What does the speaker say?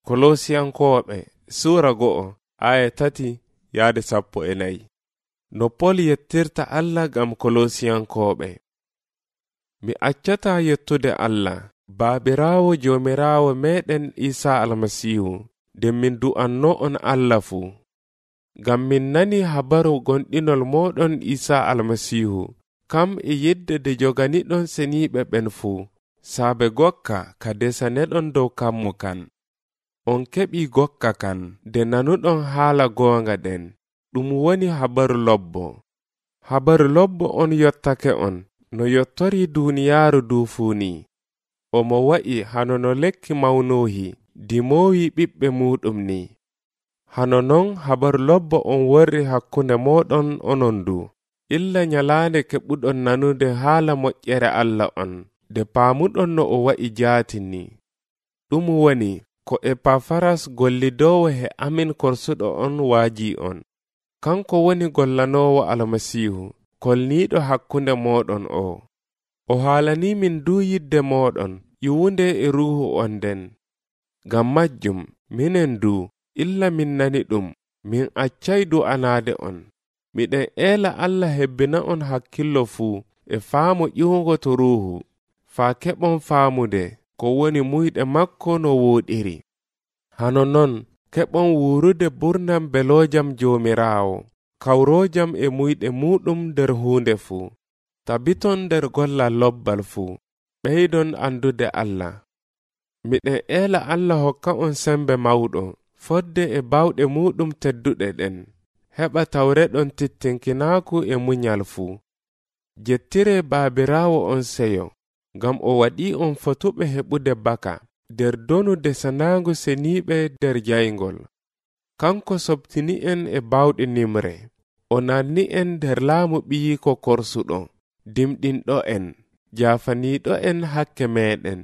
Kolosiyankooɓe Suura 1 aya 3-14. No Pol yettirta Allah ngam Kolosiyankooɓe. Mi accataa yettude Allah Baabiraawo Joomiraawo meeɗen Iisaa Almasiihu nden min du'anno'on Allah fuu. Ngam min nani habaru gonɗinol mooɗon Iisaa Almasiihu kam e yidde nde joganiɗon seniiɓe ɓen fuu, saabe gokka ka desaneɗon dow kammu kan. On keɓii gokka kan nde nanuɗon haala goonga ɗen, ɗum woni habaru lobbo. Habaru lobbo on yottake on no yottorii duuniyaaru duu fuu ni. Omo wa'i hano no lekki mawnoohi dimoowi ɓiɓɓe muuɗum ni. Hano non habaru lobbo on worri hakkunde mooɗon onon du, illa nyalaande keɓuɗon nanude haala moƴƴere Allah on, nde paamuɗon no o wa'i jaati ni. Ɗum woni ko Epafaras gollidoowo he amin korsuɗo on waajii on. Kanko woni gollanoowo Almasiihu, kolniiɗo hakkunde mooɗon o. O haalanii min duu yidde mooɗon, ƴiwunde e ruuhu on nden. Ngam majjum, minen duu, illa min nani ɗum, min accay du'anaade on. Miɗen eela Allah hebbina on hakkillo fuu e faamu ƴiwugo to ruuhu, faa keɓon faamude ko woni muyɗe makko no wooɗiri. Hano non keɓon wuurude burnam beloojam Joomiraawo, kawroojam e muyɗe muuɗum nder huunde fuu. Tabiton nder gollal lobbal fuu, ɓeydon andude Allah. Miɗen eela Allah hokka on sembe mawɗo, fodde e bawɗe muuɗum tedduɗe ɗen, heɓa tawreɗon tittinkinaaku e munyal fuu. Jettiree Baabiraawo on seyo, ngam o waɗii on fotuɓe heɓude baka nder donu desanaango seniiɓe nder jayngol. Kanko sobtini'en e bawɗe nimre, o nanni'en nder laamu ɓiyiiko korsuɗo, dimɗinɗo'en, jaafaniiɗo'en hakke meeɗen.